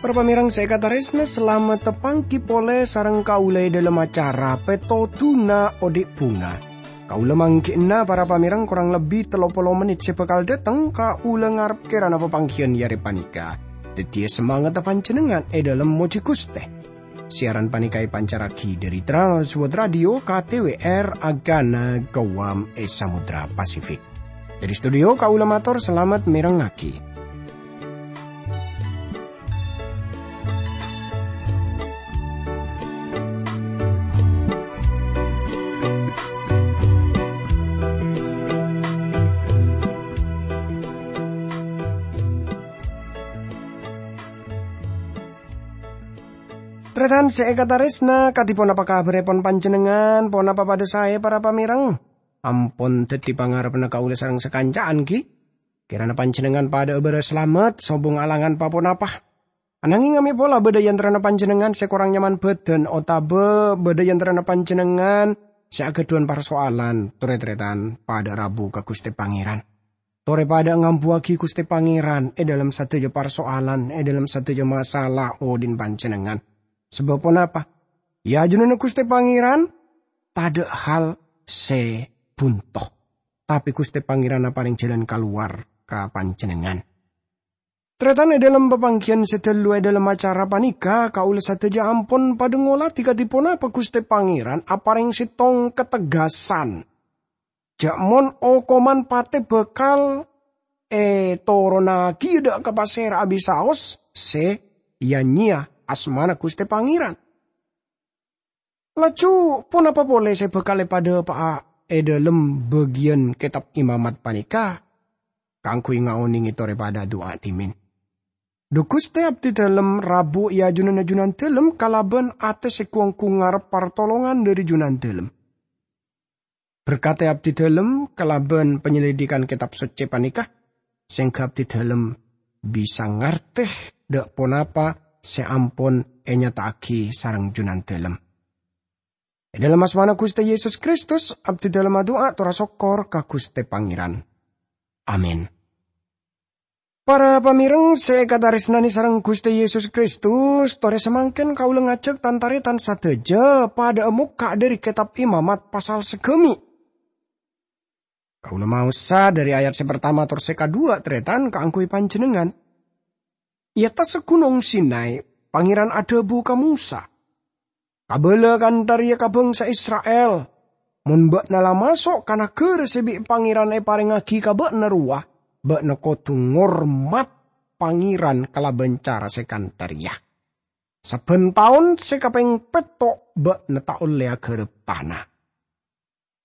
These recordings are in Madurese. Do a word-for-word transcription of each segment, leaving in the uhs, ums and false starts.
Para pamèrèng sè èkatarèsna, salamet tapangghi polè sareng kaulâ è dhâlem acara Pètodhuna Odi' Bhunga. Kaulâ mangghi'na para pamèrèng korang lebbi tello polo mennit sè bhâkal dâteng, kaulâ ngarep kèrana papangghiyân è arè panèka dhâddhiyâ samangatta panjhennengngan è dhâlem mojhi Ghustè. Siaran panèka èpancarraghi dhâri Trans World Radio K T W R Agana Guam è Samudra Pasifik. Dhâri studio kaulâ mator salamet mèrengngaghi. Tarètan sè èkatarèsna, kadhi ponapa kabhârèpon panjhennengngan? Ponapa padhâ saè, para pamèrèng? Ampon dhâddhi pangarebbhâ kaulâ sareng sakanca'an, ghi? Kèrana panjhennengngan padhâ'â bârâs salamet, sobung alangan pa-ponapa. Ananging, amè pola bâdâ è antarana panjhennengngan sè korang nyaman bhâdhân otabâ bâdâ è antarana panjhennengngan sè aghâdhuwân parsoalan, torè tarètan padhâ rabu ka Ghustè Pangèran. Torè padhâ ngambuwâghi Ghustè Pangèran è dhâlem sadhâjâ parsoalan, è dhâlem sadhâjâ masalah odi'na panjhennengngan. Sabâb ponapa? È ajunanna Ghustè Pangèran tadâ' hal sè bunto, tapè Ghustè Pangèran aparèng jhâlân kalowar ka panjhennengngan. Tarètan, è dhâlem papangghiyân sè ghâllu è dhâlem acara panèka, kaulâ sadhâjâ ampon padhâ ngolatè kadhi ponapa Ghustè Pangèran aparèng sèttong kategasan jhâ' mon okoman patè bhâkal ètoronnaghi dâ' ka pasèra abis saos sè ya-nyèya asmana Ghustè Pangèran. Laju, ponapa polè sè bhâkal èpadhâpa'a è dhâlem bâgiyân Kètab Imamat panèka kaangghuy ngaonèngè torè padhâ adu'a dhimèn? Dhu Ghustè, abdhidhâlem rabu è ajunanna Junandhâlem kalabân atè sè ghu-ongghu ngarep partolongan dhâri Junandhâlem. Berkadhi abdhidhâlem kalabân panyelidikan Kètab Soccè panèka, sehingga abdhidhâlem bisa ngartè dâ' ponapa sè ampon ènyata'aghi sareng Junandhâlem. È dhâlem asmana Ghustè Yesus Kristus, abdhidhâlem adu'a tor asokkor ka Ghustè Pangèran. Amin. Para pamèrèng sè èkatarèsnanè sareng Ghustè Yesus Kristus, torè samangkèn kaulâ ngajhâk tan-tarètan sadhâjâ padhâ'â mokka' dhâri Kètab Imamat pasal saghâmi'. Kaulâ maosa dhâri ayat sè partama tor sè kadhuwâ', tarètan, kaangghuy panjhennengngan. È attassa Ghunong Sinai, Pangèran adhâbu ka Mosa, "Kabâlâ kantha rèya ka bhângsa Isra'il, 'Mon bâ'na la maso' ka naghârâ sè bi' Pangèran èparèngngaghi ka bâ'na rowa, bâ'na kodhu ngormat Pangèran kalabân cara sè kantha rèya. Sabbhân taon sè kapèng pètto' bâ'na ta' ollè aghârâp tana.'"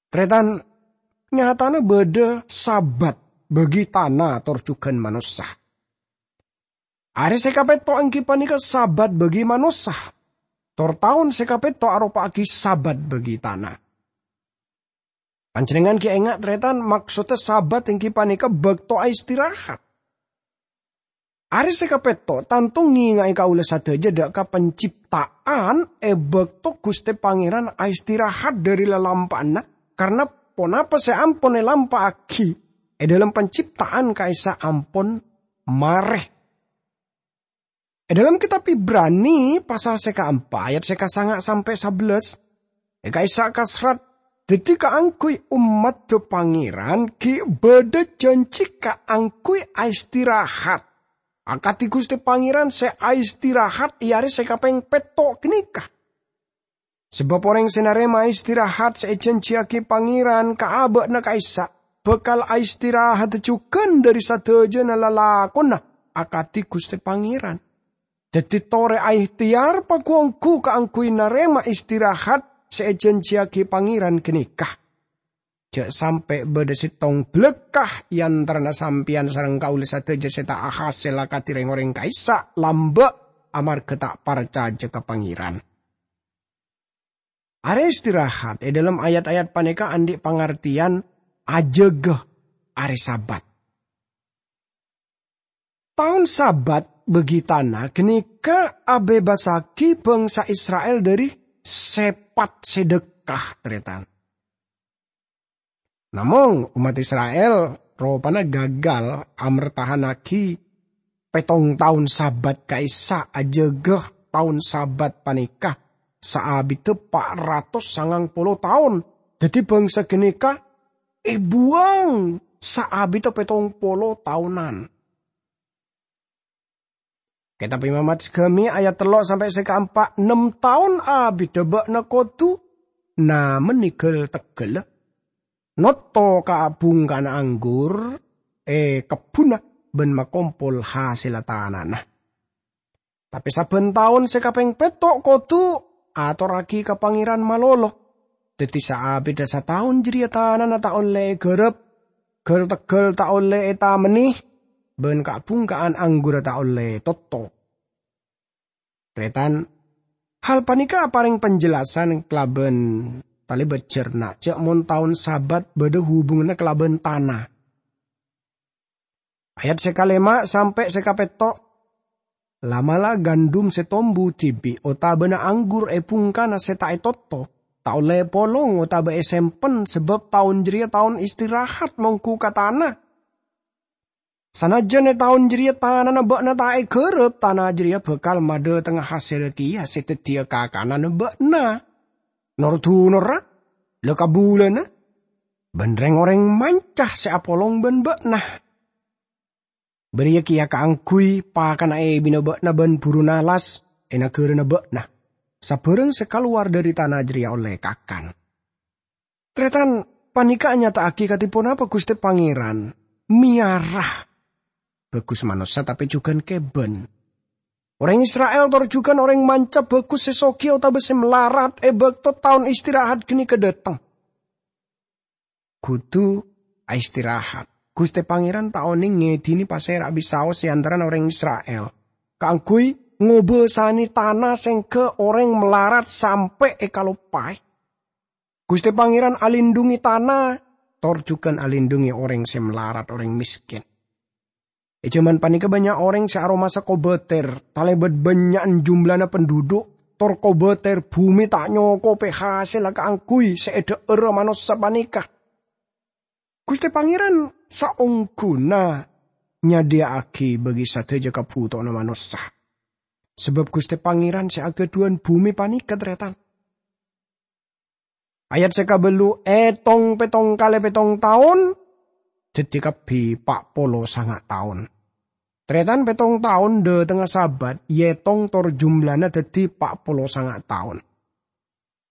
Tarètan, nyatana bâdâ Sabat bâgi tana tor jhughân manossa. Arè sè kapètto' èngghi panèka Sabat bâgi manossa, tor taon sè kapètto' aropa'aghi Sabat bâgi tana. Panjhennengngan ghi' enga', tarètan, maksoddhâ Sabat èngghi panèka bâkto aistirahat. Arè sè kapètto' tanto ngènga'è kaulâ sadhâjâ dâ' ka pancipta'an è bâkto Ghustè Pangèran aistirahat dhâri lalampa'anna, karna ponapa sè ampon èlampa'aghi è dhâlem pancipta'an ka'issa' ampon marè. È dhâlem Kètab Ibrani, pasal sè kaempa, ayat sè kasanga' sampè' sabellâs, è ka'issa' kaserrat, dhâddhi kaangghuy ommaddhâ Pangèran ghi' bâdâ jhânjhi kaangghuy aistirahat, akadhi Ghustè Pangèran sè aistirahat è arè sè kapèng pètto' ghânèka. Sabâb orèng sè narèma istirahat sè èjhânjhiyâghi Pangèran ka abâ'na ka'issa' bhâkal aistirahaddhâ jhughân dhâri sadhâjâna lalakonna akadhi Ghustè Pangèran. Dhâddhi torè aehteyar pagu-onggu kaangghuy narèma istirahat sè èjhânjhiyâghi Pangèran ghânèka. Jhâ' sampè' bâdâ sèttong bâlâkka è antarana sampèyan sareng kaulâ sadhâjâ sè ta' ahasèl akadhi rèng-orèng ka'issa' lambâ' amarghâ ta' parcajâ ka Pangèran. Arè istirahat è dhâlem ayat-ayat panèka andi' pangartèyan ajâgâ arè Sabat. Taon Sabat bagi tana ghânèka abhebbassaghi bhângsa Isra'il dhâri sèpat sè dhâkka, tarètan. Namong, ommat Isra'il ropana gagal amertahannaghi pèttong taon Sabat ka'issa', ajâgâ taon Sabat panèka saabiddhâ pa' ratos sangang polo taon. Dhâddhi, bhângsa ghânèka èbuwâng saabiddhâ pèttong polo taonan. Kètab Imamat Sagâmè ayat tello' sampè' sè kaempa', "Ennem taon abiddhâ bâ'na kodhu namennè ghâl-tegghâlla, notto ka'-bhungka'anna anggur è kebbhunna bân makompol hasèlla tanana. Tapè sabbhân taon sè kapèng pètto' kodhu atorraghi ka Pangèran malolo. Dhâddhi saabiddhâ sataon jârèya tanana ta' ollè èghârâp, ghâl-tegghâl ta' ollè ètamennè, bân ka'-bhungka'an anggurra ta' ollè totto'." Tarètan, hal panèka aparèng panjelasan kalabân talèbât jhârna jhâ' mon taon Sabat bâdâ hubunganna kalabân tana. Ayat sè kalèma' sampè' sè kapètto', "La'-mala' gandum sè tombu dhibi' otabâna anggur è bhungkana sè ta' ètotto, ta' ollè èpolong otabâ èsempen, sabâb taon jârèya taon istirahat mongghu ka tana. Sanajjân è taon jârèya tanana bâ'na ta' èghârâp, tana jârèya bhâkal madhâtengnga hasèl kèya sè dhâddhiyâ kakananna bâ'na. Nor-dunorra, la-kabulâna, bân rèng-orèng manca sè apolong bân bâ'na. Bâriyâ kèya kaangghuy pakanna èbina bâ'na bân buruna alas è naghârâna bâ'na. Sabhârâng sè kalowar dhâri tana jârèya ollè kakan." Tarètan, panèka anyata'aghi kadhi ponapa Ghustè Pangèran mèyara bhâghus manossa tapè jhughân kèbân. Orèng Isra'il tor jhughân orèng manca bhâghus sè soghi otabâ sè malarat è bâkto taon istirahat ghânèka dhâteng. Kodhu aistirahat. Ghustè Pangèran ta' onèng ngèdhinè pasèra bisaos è antarana orèng Isra'il kaangghuy ngobâsanè tana sèngghâ orèng malarat sampè' èkaloppaè. Ghustè Pangèran alindhungè tana, tor jhughân alindhungè orèng sè malarat, orèng mèskèn. È jhâman panèka bânnya' orèng sè aromasa kobâtèr, talèbât bânnya'an jumlana penduduk, tor kobâtèr bhumè ta' nyokobè hasèlla kaangghuy sè èdhâ'ârâ manossa panèka. Ghustè Pangèran saongghuna nyadhiyâ'aghi bagi sadhâjâ kabhutowanna manossa. Sabâb Ghustè Pangèran sè aghâdhuwân bhumè panèka, tarètan. Ayat sè kabâllu, ètong pèttong kalè pèttong taon, dhâddhi kabbhi pa' polo sanga' taon. Tarètan, pèttong taon dhâtengnga Sabat èètong tor jumlana dhâddhi pa' polo sanga' taon.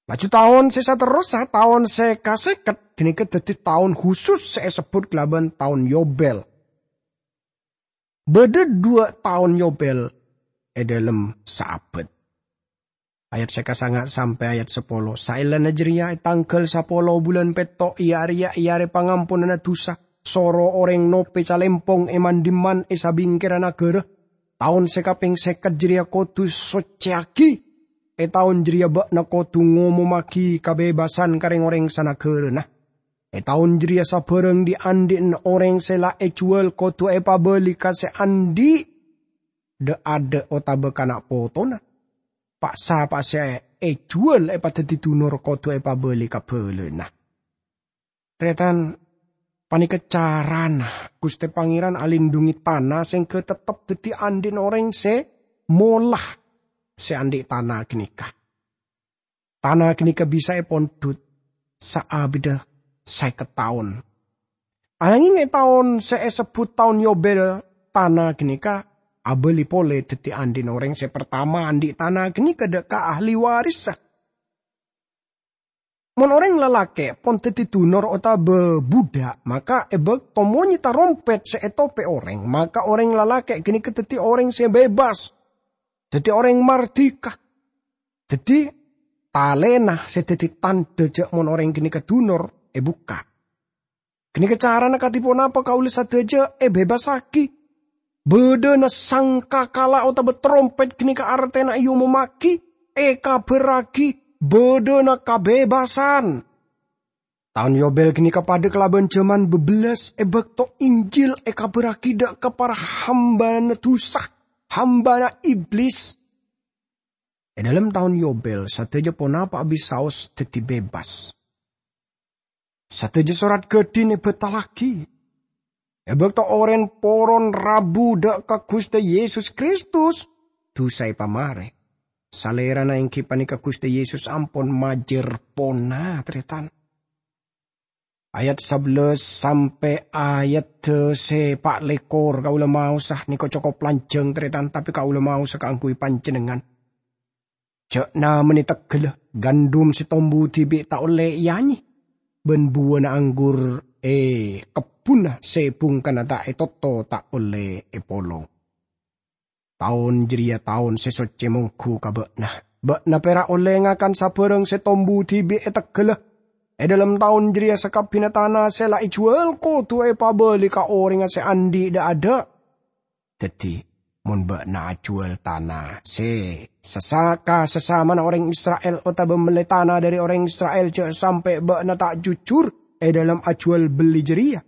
Laju taon sè saterrossa, taon sè kasèket, ghânèka dhâddhi taon husus sè èsebbhut kalabân taon Yobel. Bâdâ dhuwâ' taon Yobel è dhâlem saabâd. Ayat sè kasanga' sampè' ayat sapolo. Saellana jârèya, è tangghâl sapolo bulân pètto', iyâ arèya è Arè Pangamponanna Dhusa, soro orèng nopè calèmpong è man-dhimman è sabingkèra naghârâ. Taon sè kapèng sèket jârèya kodhu soccèyaghi. È taon jârèya bâ'na kodhu ngomommaghi kabebassan ka rèng-orèng sanaghârâna. È taon jârèya sabhârâng dhi'-andhi'na orèng sè la èjhuwâl kodhu èpabâli ka sè andhi' dha'-adha' otabâ kana' potona. Pa'-sapa'a sè èjhuwâl èpadhâddhi dunor kodhu èpabâli ka bhâlâna. Tarètan, panèka carana Ghustè Pangèran alindhungè tana sèngghâ tettep dhâddhi andhi'na orèng sè mola sè andhi' tana ghânèka. Tana ghânèka bisa èpondhut saabidda sèket taon. Ananghing è taon sè èsebbhut taon Yobel, tana ghânèka abâli polè dhâddhi andhi'na orèng sè partama andhi' tana ghânèka dha' ka ahli warissa. Mon orèng lalakè' pon dhâddhi dunor otabâ budhâk, maka è bâkto monyè tarompèt sè ètopè orèng, maka orèng lalakè' ghânèka dhâddhi orèng sè bebas, dhâddhi orèng mardhika. Dhâddhi, talèna sè dhâddhi tandhâ jhâ' mon orèng ghânèka dunor èbukka'. Ghânèka carana kadhi ponapa kaulâ sadhâjâ èbebassaghi. Bâdâna sangkakala otabâ tarompèt ghânèka artèna èomommaghi, èkabhârraghi, bâdâna kabebasan. Taon Yobel ghânèka padâ kalabân jhâman bâbellâs è bâkto Injil èkabhârraghi dha' ka para hambâna dhusa. hambana Iblis. È dhâlem taon Yobel, sadhâjâ ponapa'a bisaos dhâddhi bebas. Sadhâjâ sorat ghâdhin èbhâtallaghi. È bâkto orèng poron rabu dhâ' ka Ghustè Yesus Kristus, dhusa èpamarè. Salèrana èngghi panèka Ghustè Yesus ampon majâr pona, tarètan. Ayat sabellâs sampè' ayat sè pa' lèkor kaulâ maosa nèko cokop lanjhâng, tarètan, tapè kaulâ maosa kaangghuy panjhennengngan. Jhâ' namanè tegghâlla, gandum sè tombu dhibi' ta' ollè èanyè, bân buwâna anggur è kebbhunna sè bhungkana ta' ètotto ta' ollè èpolong. Taon jârèya taon sè soccè mongghu ka bâ'na. Bâ'na pèra' ollè ngakan sabârâng sè tombu dhibi' è tegghâlla. È dhâlem taon jârèya sakabbhiyânna tana sè la èjhuwâl kodhu èpabâli ka orèngnga sè andi' dha'-adha'. Dhâddhi, mon bâ'na ajhuwâl tana sè sasa-, ka sasamana orèng Isra'il otabâ mellè tana dhâri orèng Isra'il, jhâ' sampè' bâ'na ta' jujur è dhâlem ajhuwâl bellè jârèya.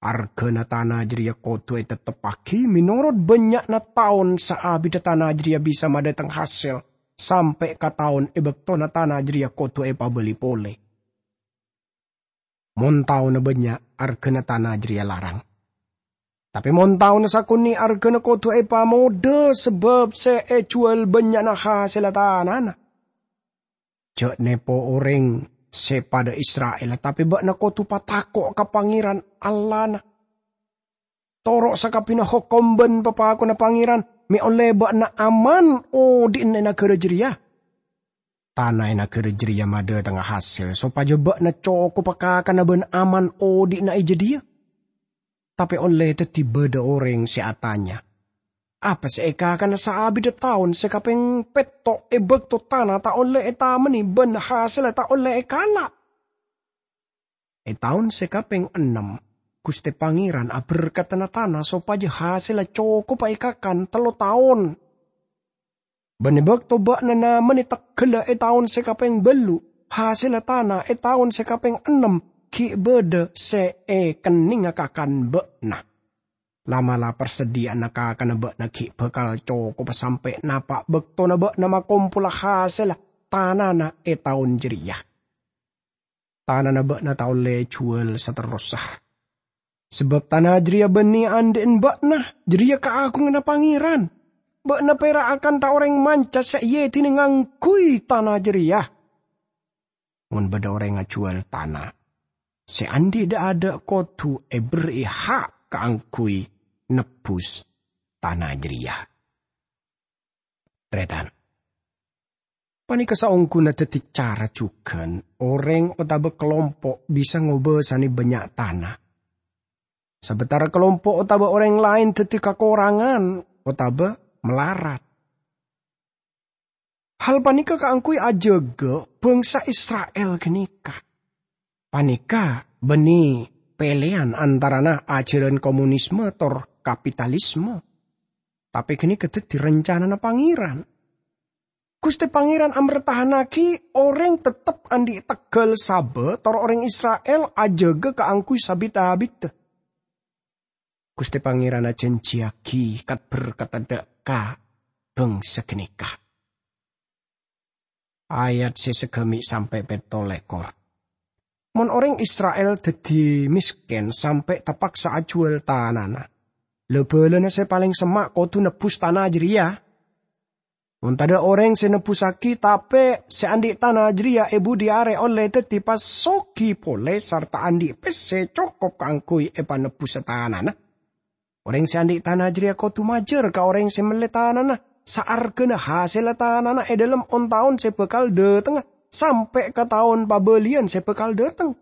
Arghâna tana jârèya kodhu ètetteppaghi mènorot bânnya'na taon saabiddhâ tana jârèya bisa madhâteng hasèl, sampè' ka taon è bâktona tana jârèya kodhu èpabâli polè. Mon taonna bânnya', arghâna tana jârèya larang. Tapè mon taonna sakonè', arghâna kodhu èpamodâ sabâb sè èjhuwâl bânnya'na hasèlla tanana. Jhâ' nèpo orèng sè padâ Isra'il, tapè bâ'na kodhu patako' ka Pangèran Allahna. Toro' sakabbhiyânna hokom bân papakonna Pangèran, mè' ollè bâ'na aman odi'na è naghârâ jârèya. Tana è naghârâ jârèya madhâtengnga hasèl sopajâ bâ'na cokopa kakanna bân aman odi'na è jâdiyâ. Tapè ollè dhâddhi bâdâ orèng sè atanya, "Apa sè èkakana saabiddhâ taon sè kapèng pètto' è bâkto tana ta' ollè ètamanè bân hasèlla ta' ollè èkala'?" È taon sè kapèng ennem, Ghustè Pangèran aberkadhâna tana sopajâ hasèlla cokopa èkakan tello taon. Bân è bâkto bâ'na namanè tegghâlla è taon sè kapèng bâllu', hasèlla tana è taon sè kapèng ennem ghi' bâdâ sè èkennènga kakan bâ'na. La'-mala' parsadhiyâ'ânna kakanna bâ'na ghi' bhâkal cokopa sampè' napa' bâktona bâ'na makompola hasèlla tanana è taon jârèya. Tanana bâ'na ta' ollè èjhuwâl saterrossa. Sabâb tana jârèya bânnè andi'en bâ'na, jârèya kaagunganna Pangèran. Bâ'na pèra' akanta orèng manca sè èyèdinè ngangghuy tana jârèya. Mon bâdâ orèng ajhuwâl tana, sè andi' dha'-adha' kodhu èberri'i ha' kaangghuy nebbhus tana jârèya. Tarètan. Panèka saongghuna dhâddhi cara jhughân orèng otabâ kalompo' bisa ngobâsanè bânnya' tana. Sabâtara kalompo' otabâ orèng laèn dhâddhi kakorangan otabâ malarat. Hal panèka kaangghuy ajâgâ bhângsa Isra'il ghânèka. Panèka bânnè pèlèyan antarana ajhârân komunisme tor kapitalisme. Tapè ghânèka dhâddhi rancanana Pangèran. Ghustè Pangèran ambertahannaghi orèng tettep andi' tegghâl sabâ tor orèng Isra'il ajâgâ kaangghuy sabit-abiddhâ. Ghustè Pangèran ajhânjhiyaghi kat-berkat dâ' ka bhângsa ghânèka. Ayat sè sagâmè' sampè' pètto lèkor. Mon orèng Isra'il dhâddhi mèskèn sampè' tapaksa ajhuwâl tanana, la-bâlâna sè palèng semma' kodhu nebbhus tana jârèya. Mon tadâ' orèng sè nebbhusaghi, tapè sè andi' tana jârèya è budi arè ollè dhâddhi pasoghi polè sarta andi' pèssè cokop kaangghuy èpanebbhusa tanana. Orèng sè andi' tana jârèya kodhu majâr ka orèng sè mellè tanana saarghâna hasèlla tanana è dhâlem on-taon sè bhâkal dhâtengnga, sampè' ka taon pabâliyân sè bhâkal dhâteng.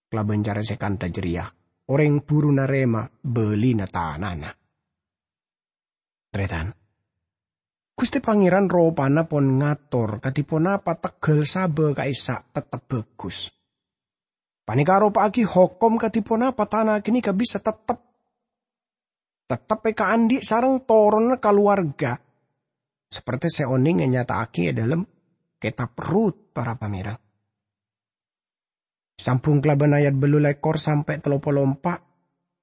Kalabân cara sè kantha jârèya, orèng buru narèma bâlina tanana. Tarètan. Ghustè Pangèran ropana pon ngator kadhi ponapa tegghâl sabâ ka'issa' tettep bhâghus. Panèka aropa'aghi hokom kadhi ponapa tana ghânèka bisa tettep, tettep èkaandi' sareng toronna kalowarga, saperte sè onèng ènyata'aghi è dhâlem Kètab Rut, para pamèreng. Sambhung kalabân ayat bâllu lèkor sampè' tello polo empa',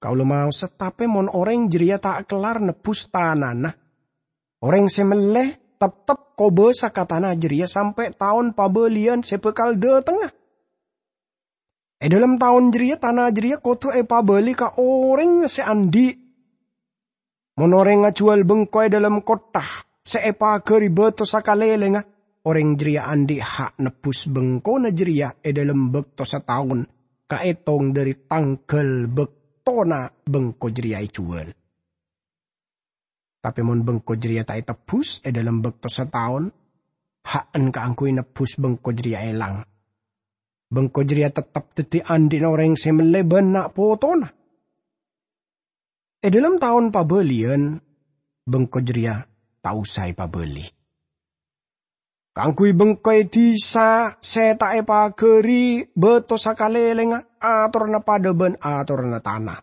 Kaulâ maosa, tapè mon orèng jârèya ta' kellar nebbhus tanana, orèng sè mellè teptep kobâsa ka tana jârèya sampè' taon pabâliyân sè bhâkal dhâtengnga. È dhâlem taon jârèya, tana jârèya kodhu èpabâli ka orèng sè andi'. Mon orèng ajhuwâl bengko è dhâlem kottha sè èpaghâri bâto sakalèlèngnga, orèng jârèya andi' ha' nebbhus bengkona jârèya è dhâlem bâkto sataon, kaètong dhâri tangghâl bâktona bengko jârèya èjhuwâl. Tapè mon bengko jârèya ta' ètebbhus è dhâlem bâkto sataon, ha'en kaangghuy nebbhus bengko jârèya èlang. Bengko jârèya teptep dhâddhi andi'na orèng sè mellè bân na' potona. È dhâlem taon pabâliyân, bengko jârèya ta' osa èpabâli. Kaangghuy bengko è dhisa sè ta' èpaghâri bâto sakalèlèngnga, atoranna padâ bân atoranna tana.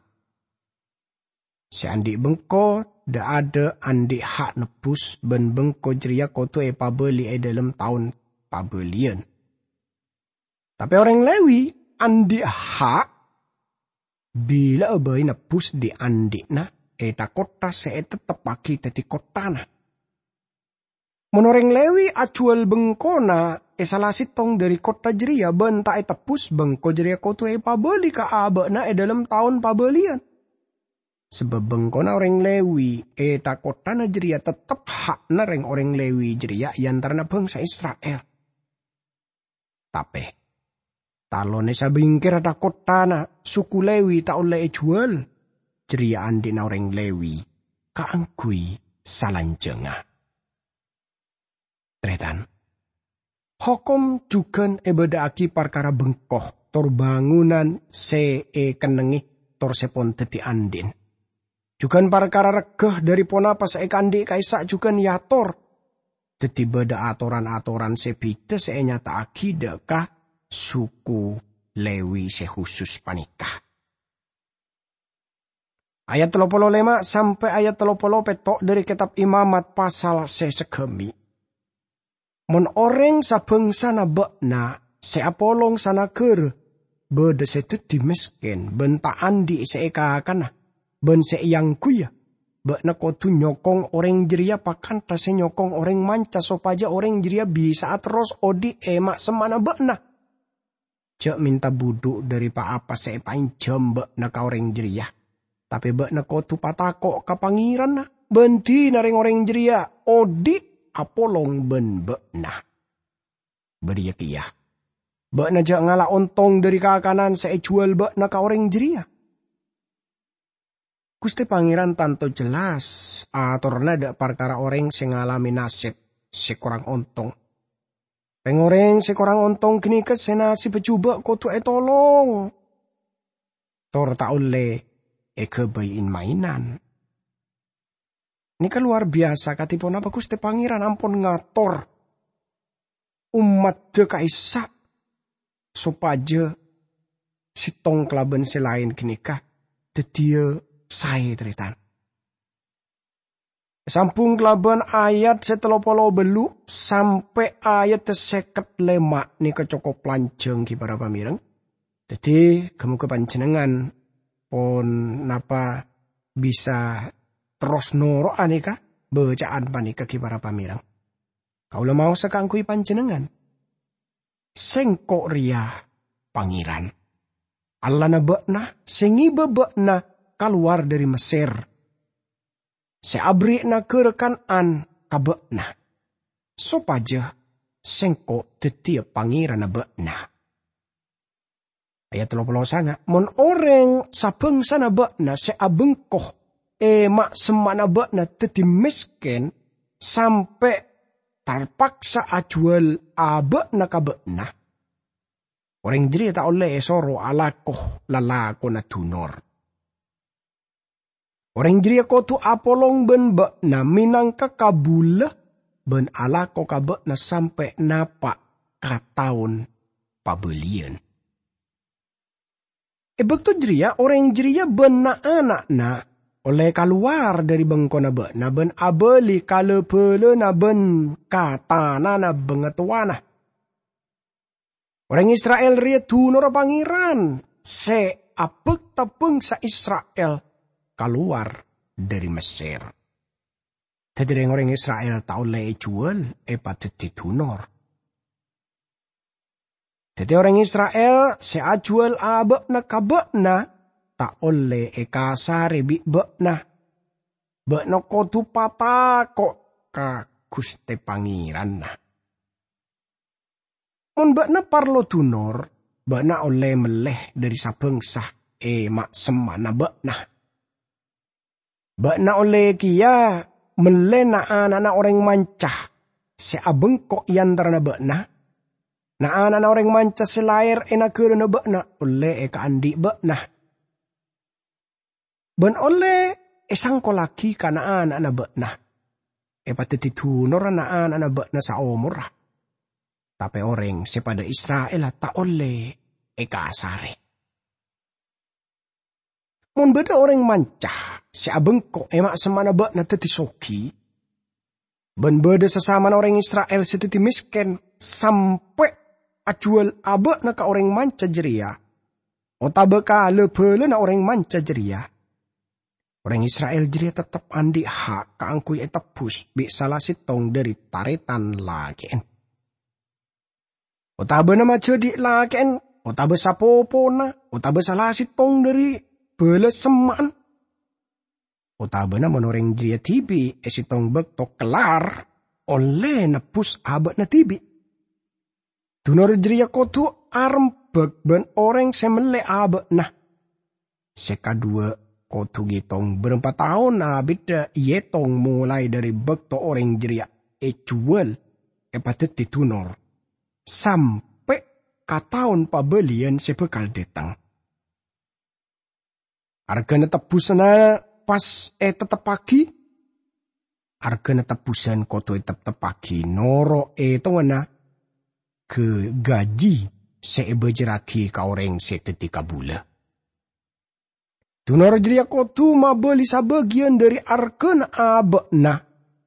Sè andi' bengko dha'-adha' andi' ha' nebbhus, bân bengko jârèya kodhu èpabâli è dhâlem taon pabâliyân. Tapè orèng Lèwi andi' ha' bila'a bhâi nebbhus dhi'-andhi'na è tha-kottha sè ètepteppaghi dhâddhi kotthana. Mon orèng Lèwi ajhuwâl bengkona è sala settong dhâri kotthana jârèya bân ta' ètebbhus, bengko jârèya kodhu èpabâli ka abâ'na è dhâlem taon pabâliyân. Sabâb bengkona orèng Lèwi è tha-kotthana jârèya teptep ha'na rèng-orèng Lèwi jârèya è antarana bhângsa Isra'il. Tapè, talon è sabingkèra tha-kotthana suku Lèwi ta' ollè èjhuwâl, jârèya andi'na orèng Lèwi kaangghuy salanjhângnga. Tarètan, hokom jhughân èbâdâ'aghi parkara bengko tor bângonan sè èkennengngè tor sè pon dhâddhi andi'na. Jhughân parkara regghâ dhâri ponapa sè èkaandi' ka'issa' jhughân èator. Dhâddhi bâdâ atoran-atoran sè bhidhâ sè ènyata'aghi dâ' ka suku Lèwi sè husus panèka. Ayat tello polo lèma sampè' ayat tello polo pètto' dhâri Kètab Imamat pasal sè saghâmè'. Mon orèng sabhângsana bâ'na sè apolong sanagârâ bâdâ sè dhâddhi mèskèn bân ta' andi' sè èkakana bân sè èangghuya, bâ'na kodhu nyokong orèng jârèya pakantha sè nyokong orèng manca sopajâ orèng jârèya bisa'a terros odi' è ma'-semma'na bâ'na. Jhâ' mènta budhu dhâri pa-apa sè èpaènjhâm bâ'na ka orèng jârèya. Tapè bâ'na kodhu patako' ka Pangèranna, bân dina rèng-orèng jârèya odi' apolong bân bâ'na. Bâriyâ kèya, bâ'na jhâ' ngala' ontong dhâri kakanan sè èjhuwâl bâ'na ka orèng jârèya. Ghustè Pangèran tanto jelas atorra dâ' parkara orèng sè ngalamè nasèb sè korang ontong. Rèng-orèng sè korang ontong ghânèka sè nasèbbhâ jhubâ' kodhu ètolong, tor ta' ollè èghâbây in-maènan. Nèka lowar biyasa kadhi ponapa Ghustè Pangèran ampon ngator ommaddhâ ka'issa' sopajâ sèttong kalabân sè laèn ghânèka dhâddhiyâ saè, tarètan. Sambhung kalabân ayat sè tello polo bâllu' sampè' ayat sè sèket lèma' nèka cokop lanjhâng, ghi para pamèrèng. Dhâddhi, ghâ-moghâ panjhennengngan pon napa bisa terros noro'a nèka bâca'an panèka, ghi para pamèrèng. Kaulâ maosa kaangghuy panjhennengngan. Sèngko' rèya Pangèran, Allahna bâ'na, sè ngèbâ bâ'na kalowar dhâri Messèr, sè aberri' naghârâ Kan'an ka bâ'na, sopajâ Sèngko' dhâddhiyâ Pangèranna bâ'na. Ayat tello polo sanga', "Mon orèng sabhângsana bâ'na sè abengko è ma'-semma'na bâ'na dhâddhi mèskèn sampè' tarpaksa ajhuwâl abâ'na ka bâ'na, orèng jârèya ta' ollè èsoro alako lalakonna dunor. Orèng jârèya kodhu apolong bân bâ'na mènangka kabulâ bân alako ka bâ'na sampè' napa' ka taon pabâliyân. È bâkto jârèya orèng jârèya bân na'-ana'na ollè kalowar dhâri bengkona bâ'na bân abâli ka la-bhâlâna bân ka tanana bangatowana. Orèng Isra'il rèya dunorra Pangèran sè abâkta bhângsa Isra'il kalowar dhâri Messèr. Dhâddhi rèng-orèng Isra'il ta' ollè èjhuwâl èpadhâddhi dunor. Dhâddhi orèng Isra'il sè ajhuwâl abâ'na ka bâ'na ta' ollè èkasarè bi' bâ'na. Bâ'na kodhu patako' ka Ghustè Pangèranna. Mon bâ'na parlo dunor, bâ'na ollè mellè dhâri sabhângsa è ma'-semma'na bâ'na. Bâ'na ollè kèya mellè na'-ana'na orèng manca sè abengko' è antarana bâ'na. Na'-ana'na orèng manca sè laèr è naghârâna bâ'na ollè èkaandhi' bâ'na. Bân ollè èsangkollaghi ka na'-ana'na bâ'na, èpadhâddhi dunorra na'-ana'na bâ'na saomorra. Tapè orèng sè padâ Isra'illa ta' ollè èkasarè. Mon bâdâ orèng manca sè abengko' è ma'-semma'na bâ'na dhâddhi soghi, bân bâdâ sasamana orèng Isra'il sè dhâddhi mèskèn sampè' ajhuwâl abâ'na ka orèng manca jârèya, otabâ ka la-bhâlâna orèng manca jârèya, orèng Isra'il jârèya teptep andhi' hak kaangghuy ètebbhus bi' sala sèttong dhâri tarètan lakè'en. Otabâna majhâdhi' lakè'en, otabâ sapopona, otabâ sala sèttong dhâri bhâlâ semma'an. Otabâna mon orèng jârèya dhibi' è sèttong bâkto kellar ollè nebbhus abâ'na dhibi'. Dunor jârèya kodhu arembhâk bân orèng sè mellè abâ'na. Sè kaduwâ' kodhu ngètong bârâmpa taon abidda èètong molaè dhâri bâkto orèng jârèya èjhuwâl èpadhâddhi dunor, sampè' ka taon pabâliyân sè bhâkal dhâteng. Arghâna tebbhusânna pas èteptebbhâghi. Arghâna tebbhusân kodhu èteptebbhâghi noro' ètonganna gâ-, gajhi sè èbâjârrâghi ka orèng sè dhâddhi kabulâ. Dunor jârèya kodhu mabâli sabâgiyân dhâri arghâna abâ'na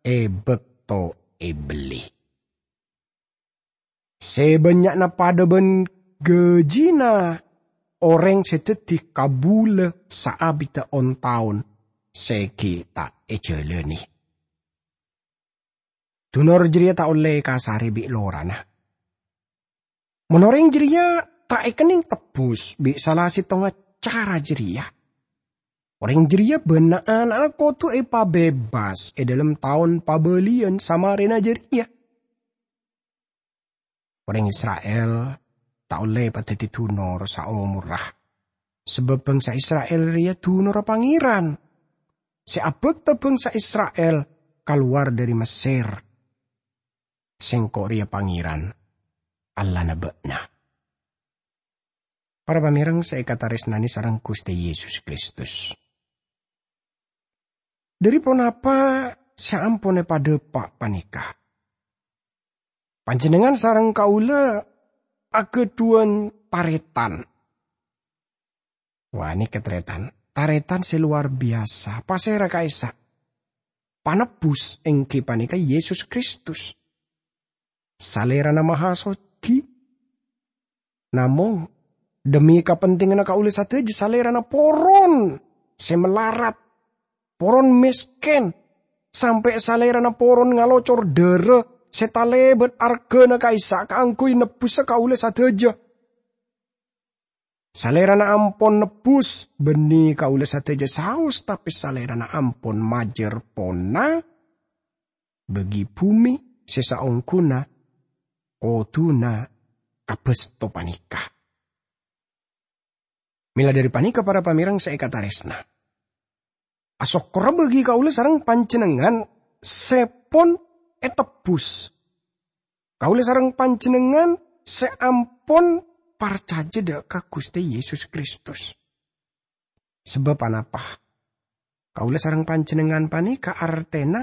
è bâkto èbellè. Sè bânnya'na padâ bân gajhina orèng sè dhâddhi kabulâ saabidda on-taon sè ghi' ta' èjhâlânè. Dunor jârèya ta' ollè èkasarè bi' lorana. Mon orèng jârèya ta' èkennèng tebbhus bi' sala sèttonga cara jârèya, orèng jârèya bân na'-ana'na kodhu èpabebas è dhâlem taon pabâliyân samarèna jârèya. Orèng Isra'il ta' ollè èpadhâddhi dunor saomorra, sabâb bhângsa Isra'il rèya dunorra Pangèran, sè abâkta bhângsa Isra'il kalowar dhâri Messèr. Sèngko' rèya Pangèran, Allahna bâ'na. Para pamèreng sè èkatarèsnanè sareng Ghustè Yesus Kristus. Dhâri ponapa sè ampon èpadhâpa' panèka? Panjhennengngan sareng kaulâ aghâdhuwân tarètan. Wah, nèka tarètan. Tarètan sè lowar biyasa. Pasèra ka'issa'? Panebbhus èngghi panèka Yesus Kristus. Salèrana maha soghi. Namong, dhemmi kapentinganna kaulâ sadhâjâ, Salèrana poron sè malarat, poron mèskèn, sampè' Salèrana poron ngalocor dârâ sè talèbât arghâna ka'issa' kaangghuy nebbhusa kaulâ sadhâjâ. Salèrana ampon nebbhus, bânnè kaulâ sadhâjâ saos, tapè Salèrana ampon majâr pona bâgi bhumè sè saongghuna kodhuna kabâsto panèka. Mèla dhâri panèka, para pamèreng sè èkatarèsna, asokkorra bâgi kaulâ sareng panjhennengngan sè pon ètebbhus. Kaulâ sareng panjhennengngan sè ampon parcajâ dhâ' ka Ghustè Yesus Kristus. Sabâb anapa? Kaulâ sareng panjhennengngan panèka artèna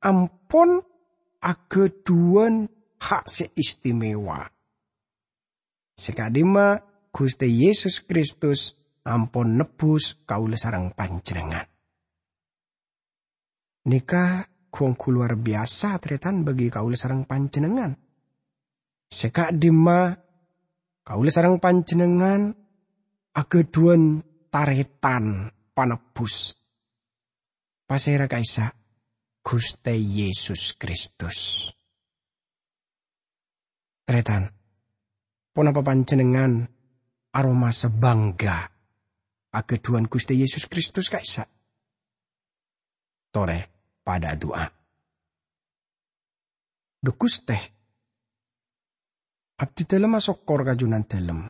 ampon aghâdhuwân ha' sè istimewa. Sè ka'dimma Ghustè Yesus Kristus ampon nebbhus kaulâ sareng panjhennengngan. Nèka ghu-ongghu lowar biyasa, tarètan, bâgi kaulâ sareng panjhennengngan. Sè ka'dimma kaulâ sareng panjhennengngan aghâdhuwân tarètan panebbhus. Pasèra ka'issa'? Ghustè Yesus Kristus. Tarètan, ponapa panjhennengngan aromasa bhângghâ aghâdhuwân Ghustè Yesus Kristus ka'issa'? Torè padâ adu'a. Dhu Ghustè, abdhidhâlem asokkor ka Jhunandhâlem.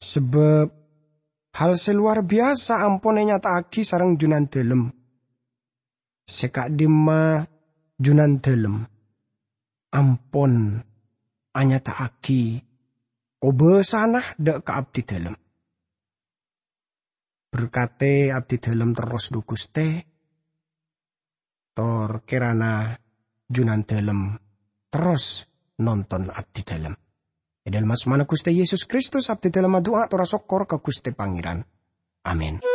Sabâb hal sè lowar biyasa ampon ènyata'aghi sareng Jhunandhâlem. Sè ka'dimma Jhunandhâlem ampon anyata'aghi kobâsana dâ' ka abdhidhâlem. Berkatè abdhidhâlem terros, dhu Ghustè, tor kèrana Jhunandhâlem terros nonton abdhidhâlem. È dhâlem asmana Ghustè Yesus Kristus, abdhidhâlem adu'a tor asokkor ka Ghustè Pangèran. Amin.